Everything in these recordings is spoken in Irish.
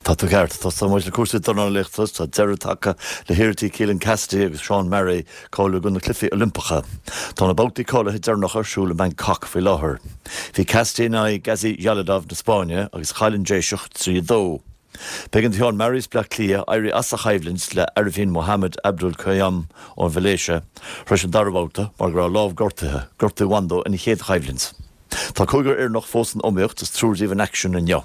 Tá tú ceart. Tosóidh muid le cúrsaí dornálaíochta. Tá deireadh tagtha le hiarrachtaí Keelan Cassidy agus Sean Murray cáiliú do na Cluichí Oilimpeacha. Tá na babhtaí cáilithe deireanacha ar siúl i mBangkok faoi láthair. Bhí Cassidy in aghaidh Gazi Jalidov na Spáinne agus chaill an Déiseach 3, 2. B'éigean do Sheán Murray as Bleá Cliath éirí as a choimhlint le Arifin Mohamad Abdul Qayum ón Mhalaeisia tar éis an dara babhta mar go raibh a lámh gortaithe, gortú a bhain dó ina chéad choimhlint. Tá cúigear Éireannach fós san iomaíocht is triúr díobh in aicsean inniu.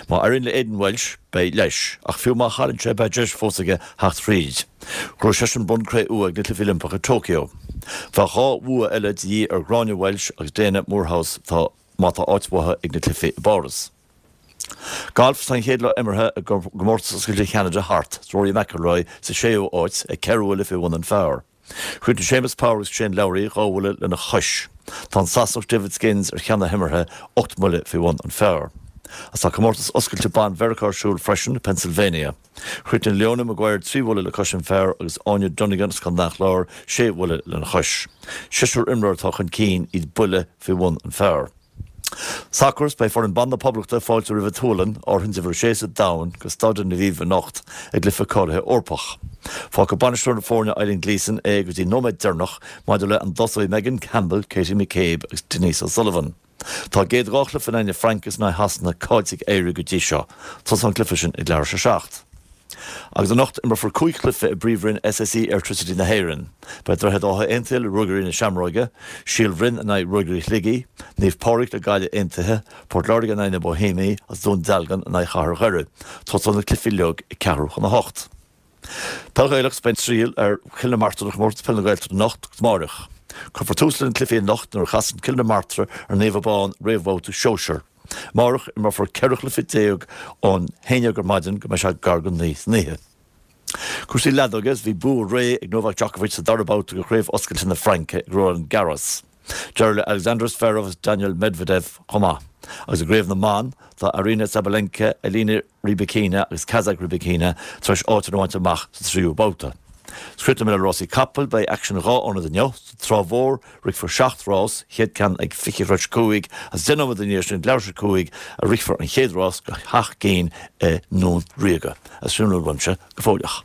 Má éiríonn le Aidan Walsh, beidh leis, ach fiú má chailleann sé beidh deis fós aige theacht thríd. Ghnóthaigh seisean bonn cré-umha ag na Cluichí Oilimpeacha i Tokyo. Bheadh dhá bhua eile de dhíth ar Ghráinne Walsh agus Daina Moorehouse má tá áit uathu ag na Cluichí i bPáras. Galf, Tá an chéad lá imeartha i gComórtas Oscailte Cheanada thart, is Rory McIlroy sa séú háit ag ceithre bhuille faoi bhun an phar. Chríochnaigh Séamus Power agus Shane Lowry dhá bhuille lena chois. Tá an Sasanach David Skinns ar cheann na himeartha, 8 mbuille faoi bhun an phar. Agus tá Comórtas Oscailte Ban Mheiriceá ar siúl freisin i Pennsylvania. Chríochnaigh Leona Maguire trí bhuille le cois an phar agus Áine Donegan as Contae an Chláir sé bhuille lena chois. Seisear imreoir atá chun cinn, iad buille faoi bhun an phar. Sacar, Beidh foireann ban na Poblachta ag fáiltiú roimh an tSualainn, ardroinnte uimhir a sé sa domhan, go Staidium Lviv anocht i gcluiche cáilithe Eorpach. Fágfaidh bainisteoir na foirne Eileen Gleeson é go dtí an nóiméad deireanach maidir le an dtosóidh Megan Campbell, Katie McCabe agus Denise O'Sullivan. Tá a gcéad dhá chluiche in aghaidh na Fraince is in aghaidh Shasana caillte ag Éire go dtí seo. Tosóidh an cluiche sin ag leathuair tar éis a 7. Agus anocht imreofar 5 chluiche i bPríomhroinn SSE Airtricity na hÉireann. Beidh Droichead Átha Aontaithe le Ruagairí na Seamróige, Síol Bhroin in aghaidh Ruagairí Shligigh, Naomh Pádraig le Gaillimh Aontaithe, Port Láirge in aghaidh na Boihéamaigh agus Dún Dealgan in aghaidh Chathair Dhoire. Tosóidh na cluichí uilig ag ceathrú chun a hocht. Peil Ghaelach Beidh an triail ar Chill na Martra do Chomórtas Peile na Gaeltachta anocht agus amárach. Cuirfear tús leis na cluichí anocht nuair a chasann Cill na Martra ar Naomh Abán réamhbhabhta sóisear. Amárach, imreofar 14 chluiche ón 11 ar maidin go mbeidh sé gar go 9 san oíche. Cúrsaí leadóige Bhí bua réidh ag Novak Djokovic sa dara babhta de Chraobh Oscailte na Fraince ag Roland Garros. Deireadh le Alexander Zverev agus Daniil Medvedev chomh maith. Agus i gcraobh na mban, tá Aryna Sabalenka, Elena Rybakina agus Kazakh Rybakina tar éis áit a bhaint amach sa tríú babhta. Críochnóidh mé le rásaí capall, beidh aicsean i dhá ionad inniu, sa Trá Mhór, Rithfear 7 rás, chéad ceann ag 5:40 agus 10 nóiméad ina dhiaidh sin ag leathuair tar éis a 5 a rithfear an chéad rás go sheacht gcinn i nDún Ríoga. Agus sin a bhfuil uaimse go fóilleach.